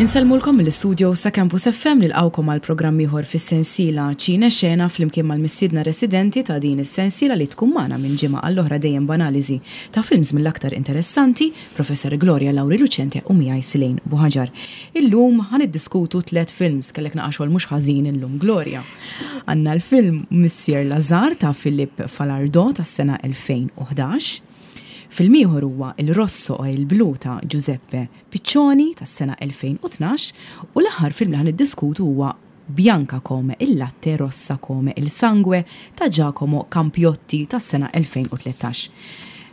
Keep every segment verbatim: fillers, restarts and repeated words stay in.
Insellmulkom mill-istudio sa' Campus F M, nilqgħukom għal programm ieħor fis-sensiela Ċine Xena, flimkien mal-mistiedna residenti ta' din is-sensiela li tkun magħna minn ġimgħa għall-oħra, dejjem b'analiżi ta' films mill-aktar interessanti, Professor Gloria Lauri Lucente u miegħi Silejn Buħaġar. Illum ħa niddiskutu tliet films, kellek naqa xogħol mhux ħażin illum, Gloria. Għandna l-film Monsieur Lazhar ta' Philippe Falardeau tas-sena elfejn u ħdax. Film ieħor huwa Il Rosso e il Blu ta' Giuseppe Piccioni tas-sena elfejn u tnax u l-aħħar film li ħa niddiskutu huwa Bianca come il latte, rossa come il sangue ta' Giacomo Campiotti tas-sena elfejn u tlettax.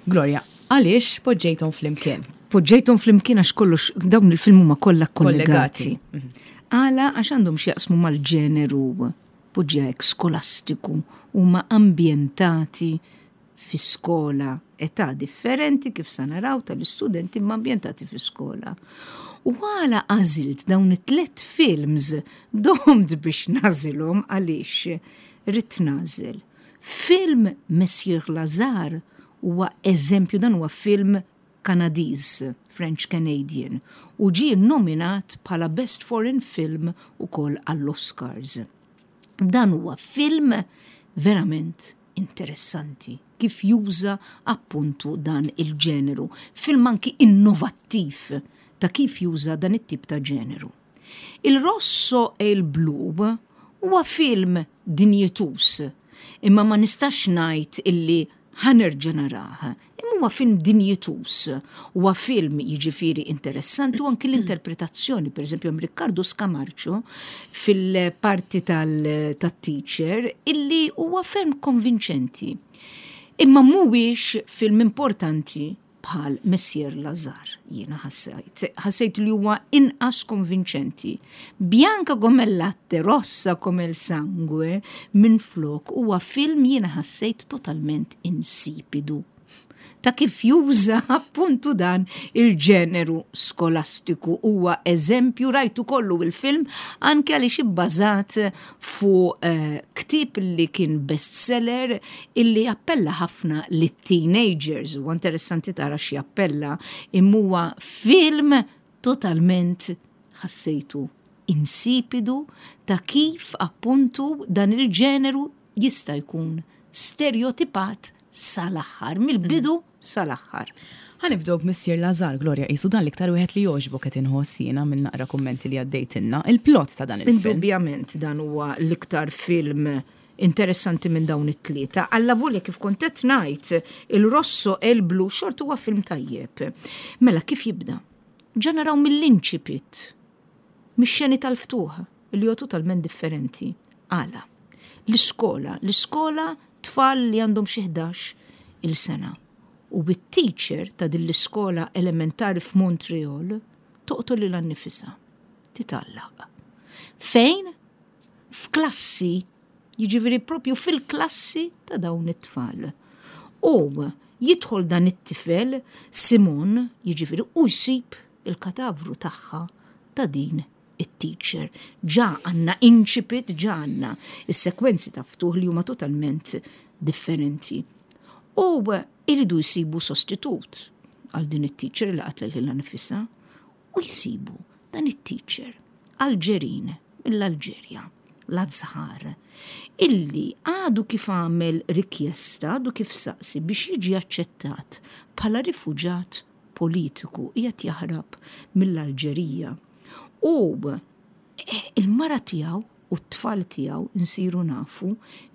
Gloria, għaliex poġġejthom flimkien? Poġġejthom flimkien għax kollox dawn il-film huma kollha kollegati. Kollegati. Għala? Għax għandhom x'jaqsmu mal-ġeneru, poġġew, skolastiku, huma ambjentati fi skola, età differenti kif sa naraw tal-istudenti, imma ambjentati fi skola. U għala għażilt dawn it-tlet films? Domt biex nagħżilhom għaliex ridt nagħżel. Film Monsieur Lazhar huwa eżempju, dan huwa film Kanadiż, French Canadian, u ġie nominat bħala Best Foreign Film ukoll għall-Oscars. Dan huwa film verament interessanti kif juża appuntu dan il-ġeneru. Film anki innovattiv ta' kif juża dan it-tip ta' ġeneru. Il Rosso e il Blu huwa film dinjetus, imma ma nistax ngħid illi ħa nerġa' narah. Imma huwa film dinjetus, huwa film jiġifieri interessanti u anki l-interpretazzjoni, per eżempju, hemm Riccardo Scamarcio fil-parti tal-teacher illi huwa ferm konvinċenti. Imma mhuwiex film importanti bħal Monsieur Lazhar, jiena ħassejt. Ħassejt li huwa inqas konvinċenti. Bianca come il latte, rossa come il sangue, minn flok huwa film jiena ħassejt totalment insipidu ta' kif juża appuntu dan il-ġeneru skolastiku. Huwa eżempju, rajtu kollu il-film anke għaliex ibbażat fuq eh, ktieb li kien bestseller illi appella ħafna lit-teenagers. U interessanti tara xi appella, imma huwa film totalment ħassejtu insipidu ta' kif appuntu dan il-ġeneru jista' jkun stereotipat sal-aħħar, mill-bidu sal-aħħar. Ħa nibdew b'Missir Lazhar, Gloria, qisu dan l-iktar wieħed li jogħġbok, qed inħoss jiena minn naqra kummenti li għaddejtilna. Il-plot ta' dan il-film. Indubjament dan huwa l-iktar film interessanti minn dawn it-tlieta. Allavolja, kif kont qed ngħid, Il Rosso e il Blu xorta huwa film tajjeb. Mela kif jibda? Ġa naraw mill-inċipit, mix-xeni tal-ftuħ, li huwa totalment differenti. Għala? L-iskola, l-iskola, tfal li għandhom xi ħdax il-sena. U bit-teacher ta' din l-iskola elementari f'Montreal toqtol lilha nnifisha. Titgħallaq. Fejn? F'klassi, jiġifieri propju fil-klassi ta' dawn it-tfal. U jidħol dan it-tifel, Simon, jiġifieri, u jsib il-katavru tagħha, ta' din it-teacher. Ġa għandna inċipit, ġa għandna is-sekwenzi ta' ftuħ li huma totalment differenti. U iridu jsibu sostitut għal din it-teacher li qatlet lilha nifisha u jsibu dan it-teacher Alġerin mill-Alġerja, Lazhar, illi għadu kif għamel rikjesta, għadu kif saqsi biex jiġi aċċettat bħala rifuġat politiku, qiegħed jaħrab mill-Alġerija. U eh, il-mara tiegħu u t-tfal tiegħu, nsiru nafu,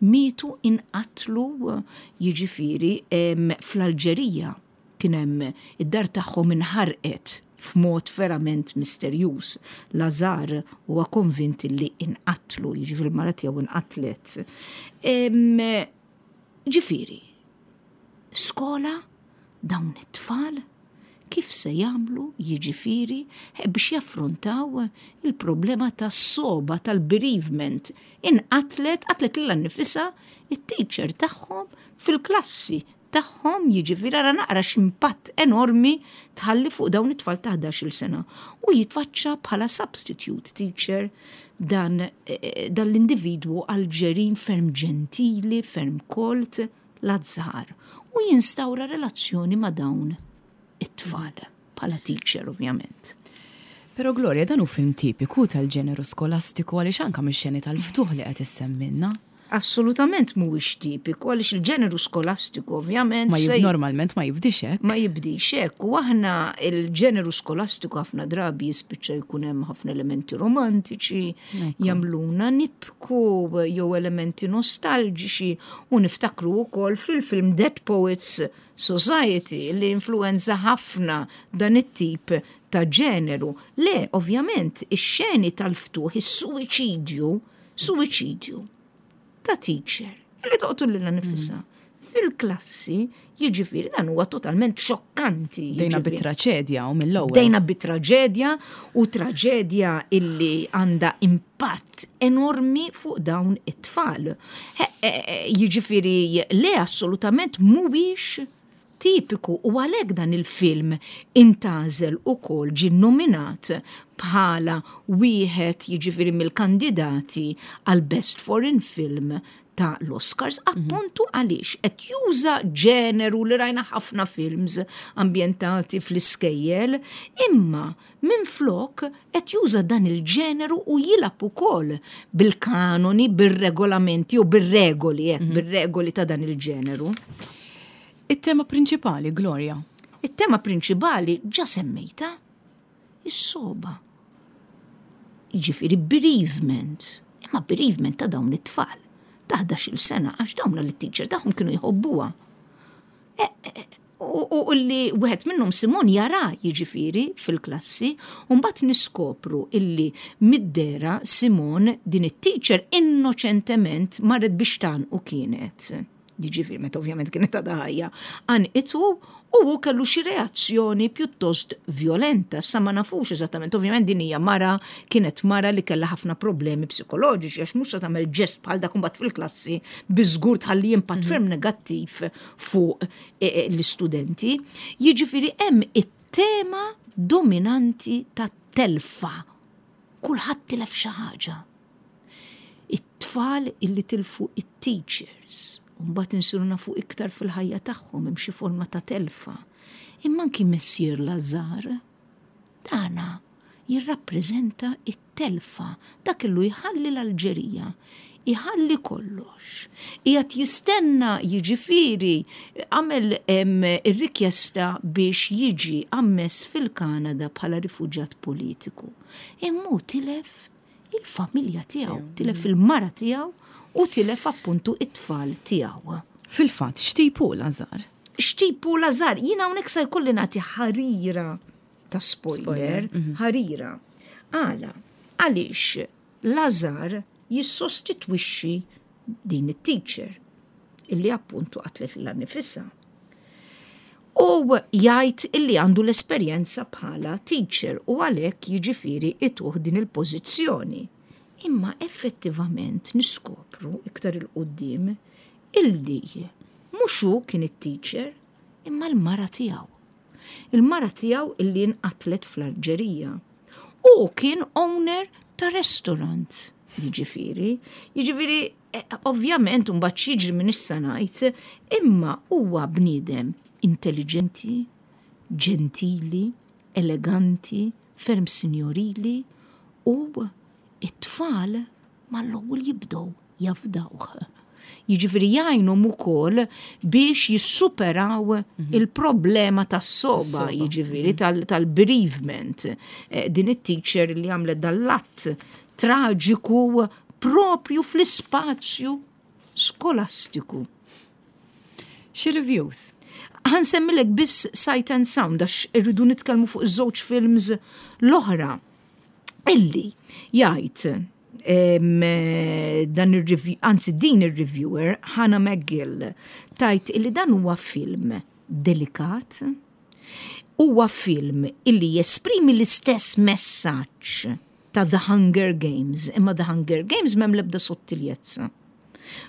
mietu, inqatlu, jiġifieri em, fl-Alġerija. Kien hemm id-dar tagħhom inħarqet f'mod verament misterjuż. Lazhar huwa konvint li inqatlu, jiġifieri l-mara tiegħu inqatlet. Em, Ġifieri, skola, dawn it-tfal kif se jagħmlu, jiġifieri, eh, biex jaffrontaw il-problema ta' soba tal-bereavement? Inqatlet, qatlet lilha nnifisha it-teacher tagħhom fil-klassi tagħhom, jiġifieri ara naqra x'impatt enormi tħalli fuq dawn it-tfal ta' ħdax-il sena. U jitfaċċa bħala substitute teacher dan, eh, dan l-individwu Alġerin ferm ġentili, ferm kolt, Lazhar. U jinstawra relazzjoni ma' dawn it-tfal, bħala teacher ovvjament. Pero Gloria, dan hu film tipiku tal-ġeneru skolastiku, għaliex anka mix-xeni tal-ftuħ li qed issemmilna. Assolutament mhuwiex tipiku, għaliex il-ġeneru skolastiku ovvjament Ma jib, normalment ma jibdix hekk. Ma jibdix hekk, u aħna il-ġeneru skolastiku ħafna drabi jispiċċa jkun hemm ħafna elementi romantiċi, jagħmluna nibku jew elementi nostalġiċi, u niftakru wkoll fil-film Dead Poets Society li influenza ħafna dan it-tip ta' ġeneru. Le, ovvjament, ix-xeni tal-ftuħ, is-suwiċidju, suwiċidju ta' teacher li toqtol lilha nifisha fil-klassi, jiġifieri dan huwa totalment xokkanti. Bdejna bit-traġedja u mill-ewwel. Bdejna bit-traġedja, u traġedja illi għandha impatt enormi fuq dawn it-tfal. Jiġifieri le, assolutament mhuwiex tipiku, u għalhekk dan il-film intgħażel ukoll, ġie nominat bħala wieħed, jiġifieri, mill-kandidati għal Best Foreign Film ta' l-Oscars, mhm. appuntu għaliex qed juża ġeneru li rajna ħafna films ambjentati fl-iskejjel, imma minn flok qed juża dan il-ġeneru u jilgħab ukoll bil-kanoni, bir-regolamenti u bir-regoli, mm -hmm. bir-regoli ta' dan il-ġeneru. Il-tema prinċipali, Gloria? Il-tema prinċipali ġa semmejta, is-sogħba. Jiġifieri bereavement, imma bereavement ta' dawn it-tfal ta' ħdax-il sena, għax dawn l-teacher tagħhom kienu jħobbuha. E, e, u li wieħed minnhom, Simon, jara, jiġifieri, fil-klassi, u mbagħad niskopru illi mid-dera Simon, din it-teacher innoċentement marret biex u kienet, jiġifieri meta ovvjament kienet għadha ħajja, għannqitu u hu kellu xi reazzjoni pjuttost violenta, sa ma nafux eżattament. Ovvjament din hija mara, kienet mara li kellha ħafna problemi psikoloġiċi, għax mhux se tagħmel ġest bħal dak mbagħad fil-klassi, biżgur tħalli impatt mhm. ferm negattiv fuq eh, eh, l-istudenti. Jiġifieri hemm it-tema dominanti ta' telfa. Kulħadd tilef xi ħaġa. It-tfal illi tilfu it-teachers, mbagħad insiru nafu iktar fil-ħajja tagħhom hemm xi forma ta' telfa. Imma anki Monsieur Lazhar, dana jirrappreżenta it-telfa, dak illu jħalli l-Alġerija, iħalli kollox. Qiegħed jistenna, jiġifieri għamel ir-rikjesta biex jiġi ammess fil-Kanada bħala rifuġjat politiku. Imma tilef il-familja tiegħu, tilef il-mara tiegħu u tilef appuntu it-tfal tiegħu. Fil-fatt, x'tipu Lazhar? X'tipu Lazhar? Jiena hawnhekk sa jkolli nagħti ħarira ta' spoiler, spoiler. Mhm. ħarira. Għala, għaliex Lazhar jissostitwixxi din it-teacher illi appuntu qatlet lilha nifisha. U jgħid illi għandu l-esperjenza bħala teacher u għalhekk, jiġifieri, ituh din il-pożizzjoni. Imma effettivament niskopru iktar 'il quddiem illi mhux hu kien it-teacher, imma l-mara tiegħu. Il-mara tiegħu illi nqatlet fl-Alġerija. U kien owner ta' restaurant, jiġifieri. Jiġifieri, eh, ovvjament, mbagħad jiġri minn issa ngħid, imma huwa bniedem intelligenti, ġentili, eleganti, ferm signorili, u it-tfal mal-ewwel jibdew jafdawh. Jiġifieri jgħinhom ukoll biex jissuperaw mhm. il-problema tas-sogħba, jiġifieri mhm. tal-bereavement. Eh, din it-teacher li għamlet dal-att traġiku propju fl-ispazju skolastiku. Xi reviews? Ħa nsemmilek biss Sight and Sound, għax irridu nitkellmu fuq iż-żewġ films l-oħra. Illi jgħid dan il-review, anzi din il-reviewer, Hannah McGill, tgħid illi dan huwa film delikat, huwa film illi jesprimi l-istess messaġġ ta' The Hunger Games, imma The Hunger Games m'hemm l-ebda sottiljezza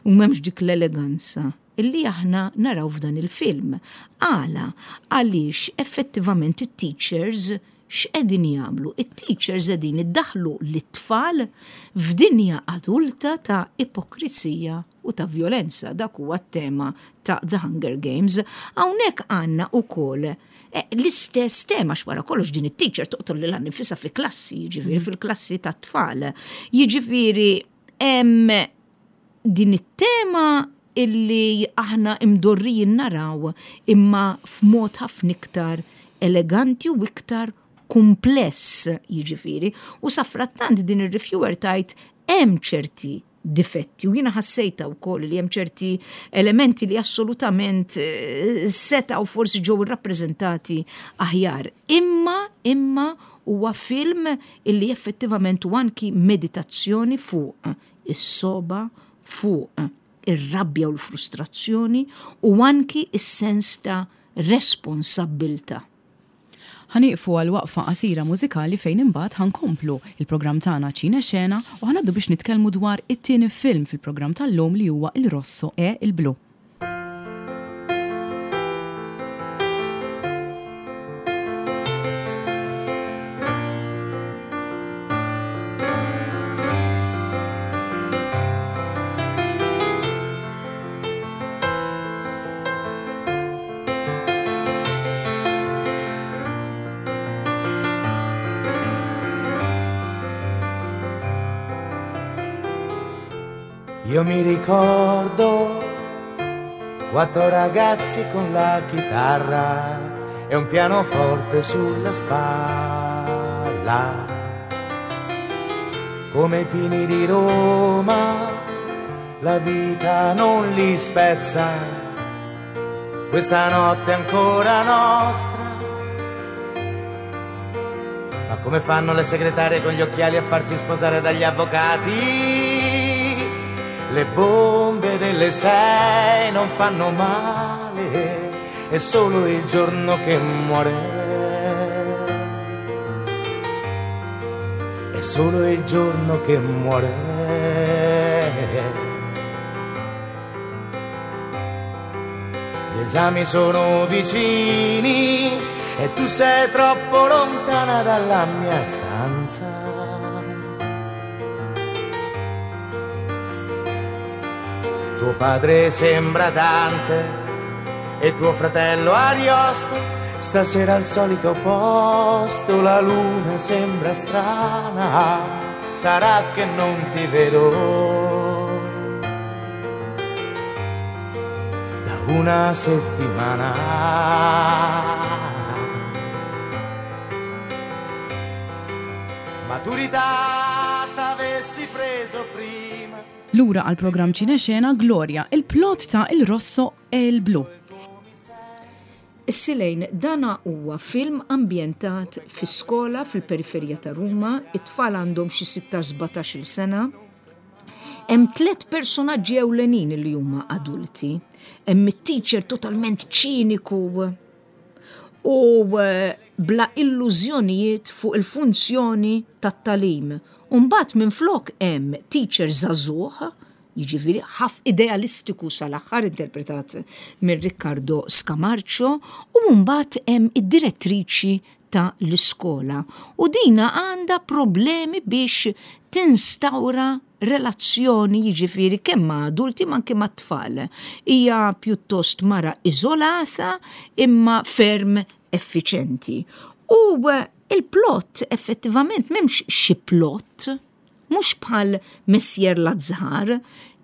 u m'hemmx dik l-eleganza illi aħna naraw f'dan il-film. Għala, għaliex effettivament it-teachers x'qegħdin jagħmlu? It-teachers qegħdin iddaħlu lit-tfal f'dinja adulta ta' ipokrizija u ta' violenza. Dak huwa t-tema ta' The Hunger Games. Hawnhekk għandna ukoll L-istess tema x'wara kollox din it-teacher toqtol lilha nfisha fi klassi, jiġifieri fil-klassi tat-tfal. Jiġifieri hemm din it-tema illi aħna imdorrijin naraw imma f'mod ħafna iktar eleganti u iktar kumpless, jiġifieri. U safrattant din ir-reviewer tgħid hemm ċerti difetti u jiena ħassejta wkoll li hemm ċerti elementi li assolutament setgħu forsi ġew irrappreżentati aħjar. Imma imma huwa film illi effettivament u anki meditazzjoni fuq is-soba, fuq ir-rabja u l-frustrazzjoni u anki is-sens ta' responsabbiltà. Ħa nieqfu għal waqfa qasira mużikali fejn imbagħad ħa nkomplu il-programm tagħna Ċine Xena u ħa ngħaddu biex nitkellmu dwar it-tieni film fil-programm tal-lum li huwa Il Rosso e il Blu. Io mi ricordo quattro ragazzi con la chitarra e un pianoforte sulla spalla. Come i pini di Roma, la vita non li spezza. Questa notte è ancora nostra. Ma come fanno le segretarie con gli occhiali a farsi sposare dagli avvocati? Le bombe delle sei non fanno male, è solo il giorno che muore. È solo il giorno che muore. Gli esami sono vicini e tu sei troppo lontana dalla mia stanza. Tuo padre sembra Dante e tuo fratello Ariosto. Stasera al solito posto la luna sembra strana. Sarà che non ti vedo da una settimana. Maturità t'avessi preso prima. Lura għal programm Ċine Xena, Gloria, il-plot ta' Il Rosso e il Blu. Is-Silejn, dana huwa film ambjentat fi skola fil-periferija ta' Ruma, it-tfal għandhom xi sittax sbatax-il sena. Hemm tliet personaġġi ewlenin li huma adulti. Hemm it-teacher totalment ċiniku u bla illużjonijiet fuq il-funzjoni tat-talim. Umbagħad minflok hemm teacher żagħżugħ, jiġifieri ħaf idealistiku sal-aħħar interpretat minn Riccardo Scamarcio, u mbagħad hemm id-direttriċi ta' l-iskola. U dina għandha problemi biex tinstawra relazzjoni jiġifieri kemm ma' adulti ma' anke ma' tfal. Hija pjuttost mara iżolata imma ferm effiċenti. U il-plot effettivament m'hemmx xi plot, mhux bħal Messier Lazhar,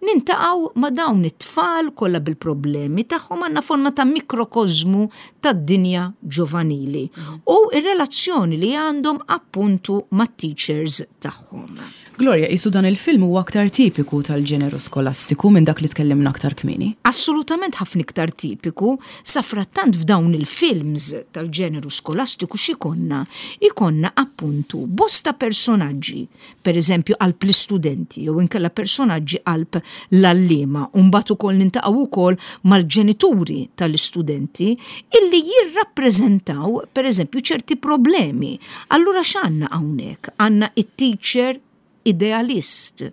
nintaqgħu ma' dawn it-tfal kollha bil-problemi tagħhom, għandna forma ta' mikrokozmu tad-dinja ġovanili u r-relazzjoni li għandhom appuntu mat-teachers tagħhom. Gloria, jisu dan il-film huwa aktar tipiku tal-ġeneru skolastiku minn dak li tkellimna aktar kmieni? Assolutament ħafna iktar tipiku. Safrattant f'dawn il-films tal-ġeneru skolastiku x'ikonna? Ikonna appuntu bosta personaġġi, per eżempju qalb l-istudenti jew inkella personaġġi qalb l-għalliema, u mbagħad ukoll nintaqgħu wkoll mal-ġenituri tal-istudenti illi jirrappreżentaw per eżempju ċerti problemi. Allura x'għandna hawnhekk? Għandna it-teacher idealist,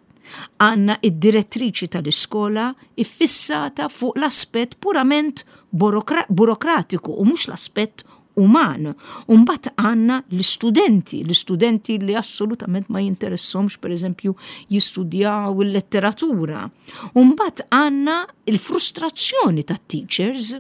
għanna id-direttriċi tal-iskola iffissata fuq l-aspett purament burokratiku u mhux l-aspett uman. Umbagħad għanna l-istudenti, l-istudenti li assolutament ma jinteressomx per eżempju jistudjaw il-letteratura. Umbagħad għanna il-frustrazzjoni tat-teachers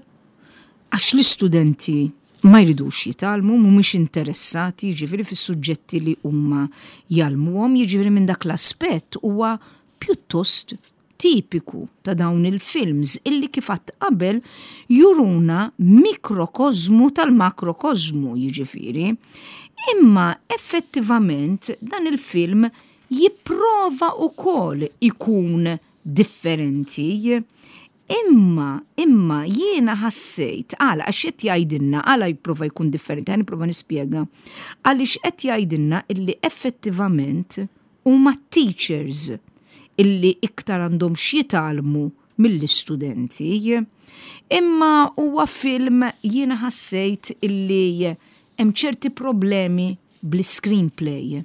għax l-istudenti Ma jridux jitgħallmu, mhumiex interessati, jiġifieri, fis-suġġetti li huma jgħallmuhom, jiġifieri minn dak l-aspett huwa pjuttost tipiku ta' dawn il-films illi, kif għedt qabel, juruna mikrokozmu tal-makrokozmu, jiġifieri. Imma effettivament dan il-film jipprova ukoll ikun differenti. Imma, imma jiena ħassejt, għala, għax qed jgħidilna, għala jipprova jkun differenti, ħa nipprova nispjega. Għaliex qed jgħidilna illi effettivament huma teachers illi iktar għandhom x'jitgħallmu mill-istudenti. Imma huwa film, jiena ħassejt illi hemm ċerti problemi bl-screenplay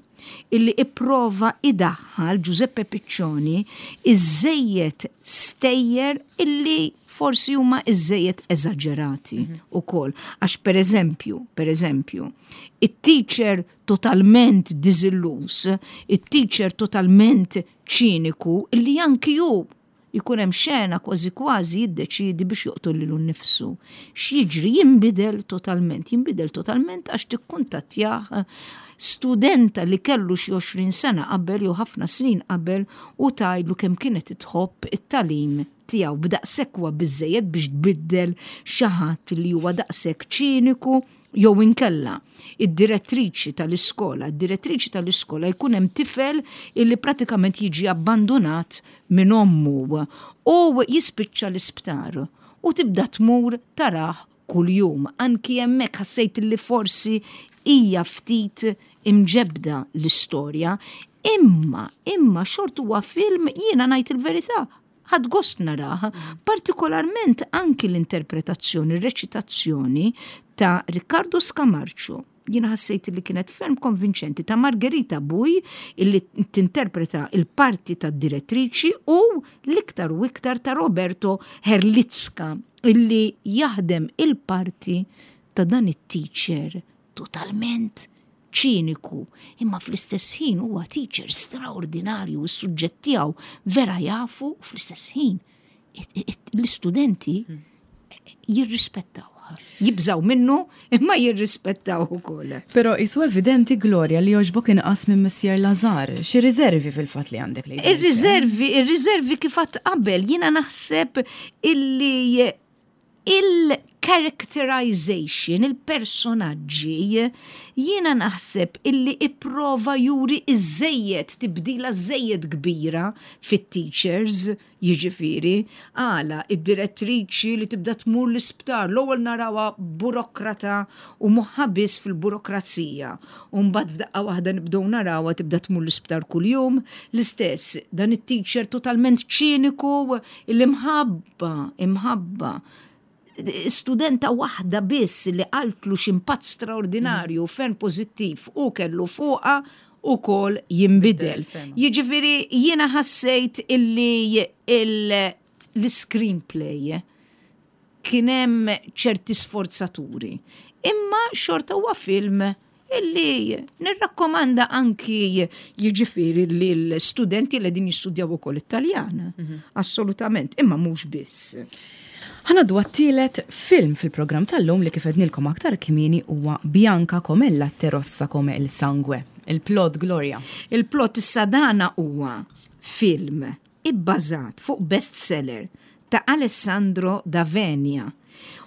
illi ipprova idaħħal Giuseppe Piccioni iżżejjed stejjer illi forsi huma iżżejjed eżaġerati mm -hmm. ukoll. Għax per eżempju, per eżempju, it-teacher totalment diżilluż, it-teacher totalment ċiniku, illi anki ju jkun hemm xena kważi kważi jiddeċidi biex joqtol lilu nnifsu. X'jiġri? Jinbidel totalment, jinbidel totalment għax tikkuntattjah studenta li kellu xi għoxrin sena qabel jew ħafna snin qabel u tgħidlu kemm kienet tħobb it-tagħlim tiegħu. B'daqshekk huwa biżejjed biex tbiddel xi ħadd li huwa daqshekk ċiniku. Jew inkella id-direttriċi tal-iskola, id-direttriċi tal-iskola jkun hemm tifel illi pratikament jiġi abbandonat minn ommu u jispiċċa l-isptar u tibda tmur tarah kuljum. Anki hemmhekk ħassejt li forsi hija ftit imġebda l-istorja, imma imma xorta huwa film, jiena ngħid il-verità, ħadt gost narah, partikolarment anki l-interpretazzjoni, r-reċitazzjoni ta' Riccardo Scamarcio. Jiena ħassejt li kienet ferm konvinċenti, ta' Margherita Buy illi tinterpreta il-parti ta' direttriċi u l-iktar u iktar ta' Roberto Herlitzka illi jaħdem il-parti ta' dan it-teacher totalment ċiniku, imma fl-istess ħin huwa teacher straordinarju, is-suġġett tiegħu vera jafu, u fl-istess ħin l-istudenti jirrispettaw. Jibżaw minnu, imma jirrispettaw ukoll. Però qisu evidenti, Gloria, li jogħġbok inqas minn Monsieur Lazhar. Xi riservi fil-fatt li għandek li? Ir-riservi, ir-riservi, kif għedt qabel, jiena naħseb illi il-characterization, il-personaġġi, jiena naħseb illi ipprova juri iżżejjed, tibdila żejjed kbira fit-teachers, jiġifieri, għala id-direttriċi li tibda tmur l-isptar, l-ewwel narawha burokrata u moħħha biss fil-burokrazija. U mbagħad f'daqqa waħda nibdew narawha tibda tmur l-isptar kuljum, l-istess dan it-teacher totalment ċiniku, il-imħabba, imħabba studenta waħda biss li qaltlu x'impatt straordinarju ferm pożittiv u kellu fuqha ukoll jinbidel. Jiġifieri jiena ħassejt illi l-screenplay kien hemm ċerti sforzaturi. Imma xorta huwa film illi nirrakkomanda anki, jiġifieri, li l-studenti li din jistudjaw ukoll Italjan. Assolutament, imma mhux biss. Ħa ngħaddu għat-tielet film fil-programm tal-lum li, kif għednilkom aktar kmieni, huwa Bianca come il latte, rossa come il sangue. Il-plot, Gloria. Il-plot issa, dana huwa film ibbażat fuq bestseller ta' Alessandro D'Avenia.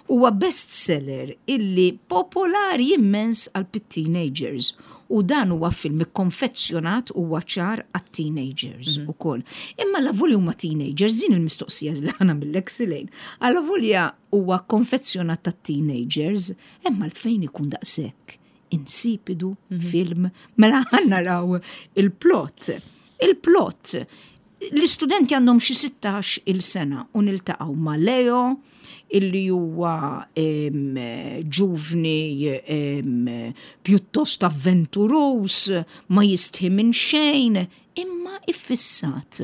Huwa bestseller illi popolari immens għal teenagers u dan huwa film ikkonfezzjonat, huwa ċar, għat-teenagers mm -hmm. ukoll. Imma avolja huma teenagers, din il-mistoqsija li ħa nagħmillek, Silejn. Avolja huwa konfezzjonat tat-teenagers, imma għalfejn ikun daqshekk insipidu mm -hmm. film? Mela ħa naraw il-plot. Il-plot, l-istudenti għandhom xi sittax il-sena u niltaqgħu ma' Leo illi huwa ġuvni pjuttost avventuruż, ma jistħi minn xejn, imma iffissat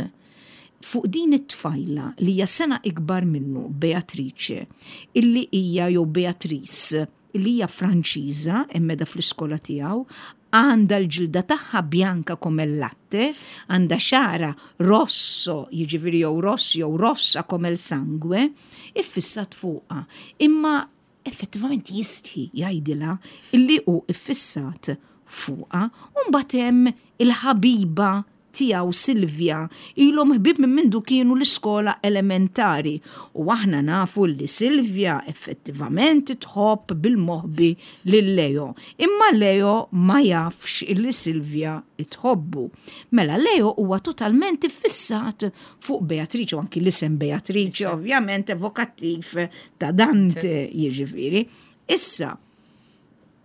fuq din it-tfajla li hija sena ikbar minnu, Beatrice, illi hija, jew Beatrice, illi hija Franċiża immeda fl-iskola tiegħu, għandha l-ġilda tagħha bianca come il latte, għandha xagħarha rosso, jiġifieri jew ross jew rossa come il sangue, iffissat fuqha. Imma Effettivament jistħi jgħidilha illi hu iffissat fuqha. U mbagħad hemm il-ħabiba tiegħu Silvia, ilhom ħbieb minn mindu kienu l-iskola elementari, u aħna nafu li Silvia effettivament tħobb bil-moħbi lil Leo. Imma Leo ma jafx illi Silvia tħobbu. Mela Leo huwa totalment iffissat fuq Beatrice, u anki l-isem Beatrice ovvjament evokattiv ta' Dante, jiġifieri. Issa,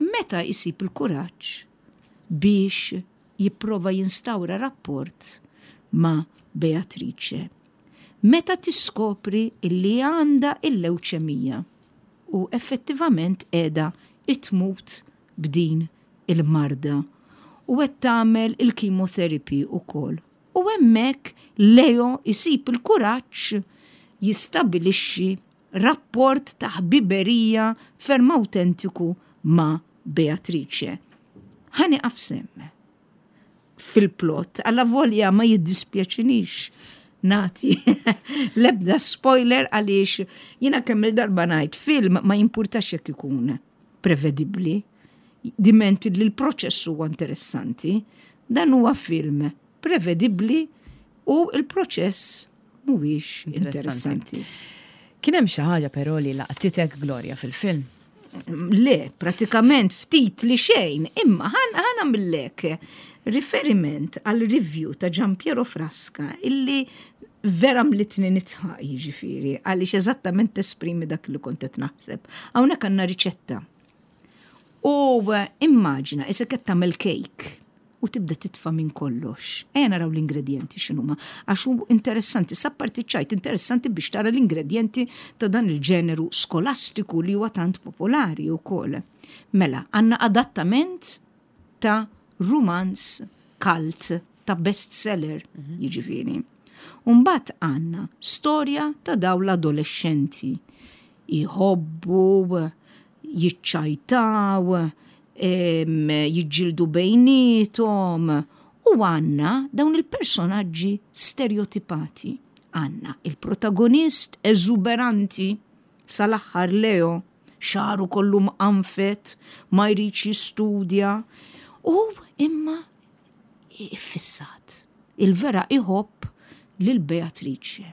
meta jsib il-kuraġġ biex jipprova jinstawra rapport ma' Beatrice? Meta tiskopri illi għandha il-lewċemija u effettivament qiegħda tmut b'din il-marda u qed tagħmel il-chemotherapy ukoll. U hemmhekk Leo jsib il-kuraġġ jistabilixxi rapport ta' ħbiberija ferm autentiku ma' Beatrice. Ħa nieqaf s'hemm fil-plot, allavolja ma jiddispjaċinix nagħti l-ebda spoiler, għaliex jiena kemm il-darba ngħid, film ma jimpurtax jekk ikun prevedibbli, diment li l-proċess huwa interessanti. Dan huwa film prevedibbli u il-proċess mhuwiex interessanti. Kien hemm xi ħaġa però li laqtitek, Gloria, fil-film? Le, pratikament ftit li xejn, imma ħa nagħmillek riferiment għal review ta' Giampiero Frasca illi vera mlitni nidħaq, jiġifieri, għaliex eżattament esprimi dak li kont qed naħseb. Hawnhekk għandna riċetta. U immaġina, issa qed tagħmel cake u tibda titfa' minn kollox. Ejja naraw l-ingredienti x'inhuma, għax hu interessanti, apparti ċajt, interessanti biex tara l-ingredienti ta' dan il-ġeneru skolastiku li huwa tant popolari wkoll. Mela, għandna adattament ta' romance cult, ta' bestseller, jiġifieri. Umbagħad għandna storja ta' daw l-adolescenti. Jħobbu, jiċċajtaw, em, jiġġieldu bejniethom u għandna dawn il-personaġġi stereotipati. Għandna il-protagonist eżuberanti sal-aħħar, Leo, xagħru kollu mqanfet, ma jridx jistudja u imma iffissat. Il-vera iħobb lil Beatrice.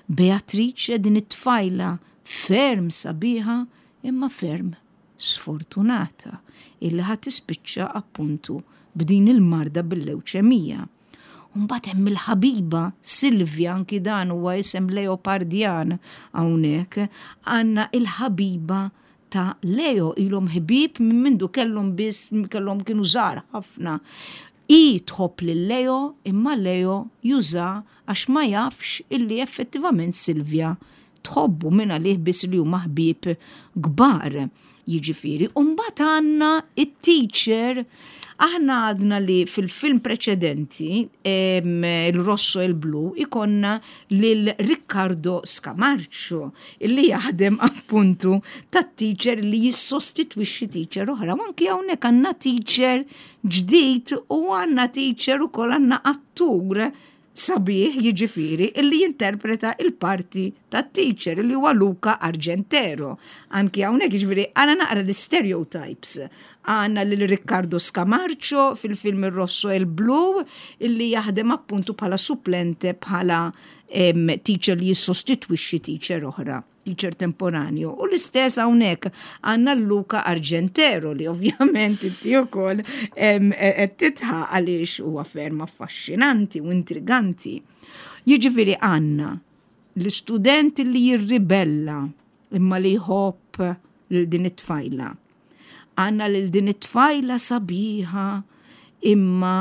Beatrice, din it-tfajla ferm sabiħa imma ferm sfortunata illi ħa tispiċċa appuntu b'din il-marda bil-lewċemija. Umbagħad hemm il-ħabiba Silvia, anki dan huwa isem Leopardjan hawnhekk, għandna il-ħabiba ta' Leo, ilhom ħbieb minn mindu kellhom biss kellhom kienu żgħar ħafna. Hi tħobb lil Leo, imma Leo juża għax ma jafx illi effettivament Silvia tħobbu minn għalih biss, li huma ħbieb kbar. Jiġifieri, u mbagħad għandna it-teacher. Aħna għadna li fil-film preċedenti, em, il-Rosso e il-Blu, ikollna lil Riccardo Scamarcio, illi jaħdem appuntu ta' teacher li jissostitwixxi teacher oħra. U anki hawnhekk għandna teacher ġdid u għandna teacher ukoll, għandna attur sabiħ, jiġifieri, illi jinterpreta il-parti ta' teacher, illi huwa Luca Argentero. Anki hawnhekk, jiġifieri, għandna naqra l-stereotypes. Għandna lil Riccardo Scamarcio fil-film Il Rosso e il Blu illi jaħdem appuntu bħala supplente, bħala em, teacher li jissostitwixxi teacher oħra, teacher temporanju. U l-istess hawnhekk għandna Luca Argentero li ovvjament inti wkoll em, qed tidħaq għaliex huwa ferm affaxxinanti u intriganti. Jiġifieri għandna l-istudent li jirribella imma li jħobb lil din it-tfajla. Għandna lil din it-tfajla sabiħa imma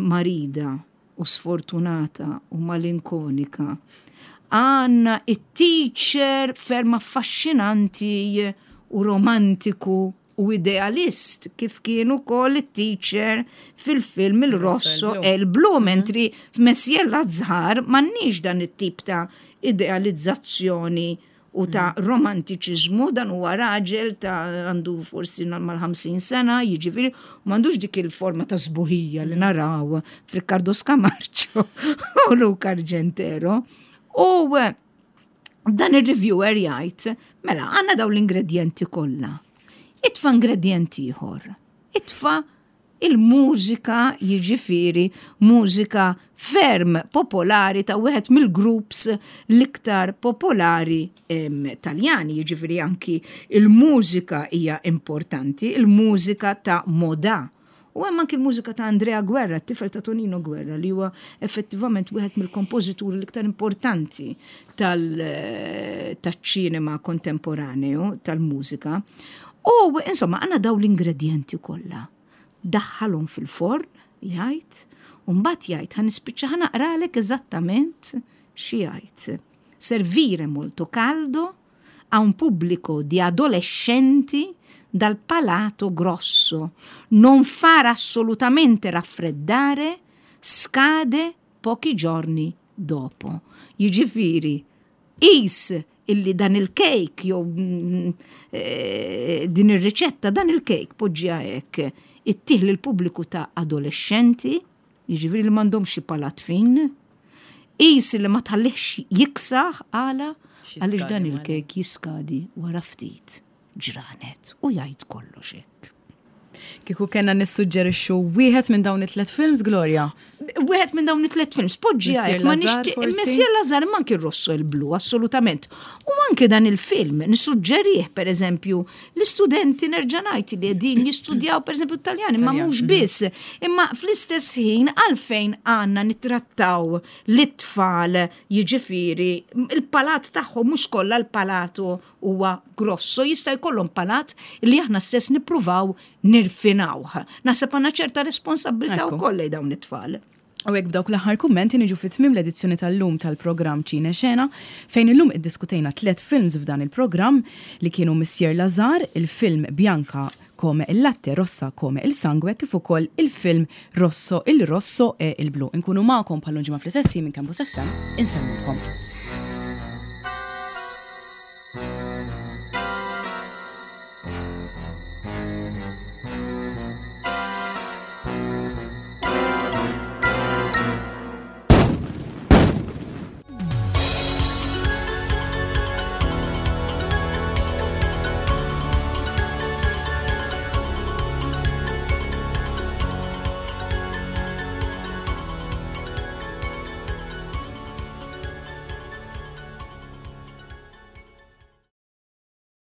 marida u sfortunata u malinkonika. Għandna it-teacher ferm affaxxinanti u romantiku u idealist, kif kienu kol it-teacher fil-film Il Rosso e e il Blu, mentri f'Messier Lazhar m'għandniex dan it-tip ta' idealizzazzjoni u ta' romantiċiżmu. Dan huwa raġel ta' għandu forsi mal-ħamsin sena, jiġifieri, u m'għandux dik il-forma ta' sbuħija li naraw f'Riccardo Scamarcio u Luca Argentero. U Dan ir-reviewer jgħid, mela għandna daw l-ingredienti kollha. Itfa' ingredient ieħor. Itfa' il-mużika, jiġifieri mużika ferm popolari ta' wieħed mill-groups l-iktar popolari em, Taljani, jiġifieri anki il-mużika hija importanti, il-mużika ta' Modà. U hemm anki l-mużika ta' Andrea Guerra, t-tifel ta' Tonino Guerra, li huwa effettivament wieħed mill-kompożituri l-iktar importanti tal-ċinema kontemporaneu, tal-mużika. U insomma, għandna daw l-ingredienti kollha. Daħħalhom fil-forn, jgħid, u mbagħad jgħid, ħa nispiċċa ħa naqralek eżattament xi jgħid. "Servire molto caldo a un pubblico di adolescenti dal palato grosso. Non far assolutamente raffreddare, scade pochi giorni dopo." Jiġifieri, qis illi dan il-kejk jew mm, eh, din ir-riċetta, dan il-kejk poġġiha hekk, ittih lill-pubbliku ta' adolescenti, jiġifieri li m'għandhomx xi palat fin, qis li ma tħallihx jiksaħ. Għala? Xi Għaliex dan skadi. Il-kejk jiskadi wara ftit ġranet u jgħid kollox hekk. Kieku kellna nissuġġerixxu wieħed minn dawn it-tlet films, Gloria? Wieħed minn dawn it-tlet films, poġġi Monsieur hekk, ma Lazhar, nixtieq forsi? Monsieur Lazhar, ma anki Rosso e il Blu, assolutament. U anke dan il-film nissuġġerih, per eżempju, l-istudenti, nerġa' ngħid, li qegħdin jistudjaw, per eżempju, Taljan, imma Taljan, mhux mhm. biss, imma fl-istess ħin għalfejn għandna nittrattaw l-tfal, jiġifieri il-palat tagħhom mhux kollha l-palato huwa grosso, jista' jkollhom palat li aħna stess nippruvaw nirfinawh. Naħseb għandna ċerta responsabilità Ekku. wkoll lejn dawn it-tfal. U hekk b'dawk l-aħħar kummenti niġu fi tmiem l-edizzjoni tal-lum tal-programm Ċine Xena, fejn illum iddiskutejna tliet films f'dan il-programm li kienu Monsieur Lazhar, il-film Bianca come il latte, rossa come il sangue, kif ukoll il-film Rosso, il Rosso e il Blu. Inkunu magħkom bħal ġimgħa fl-istess minn Campus F M, insellmulkom.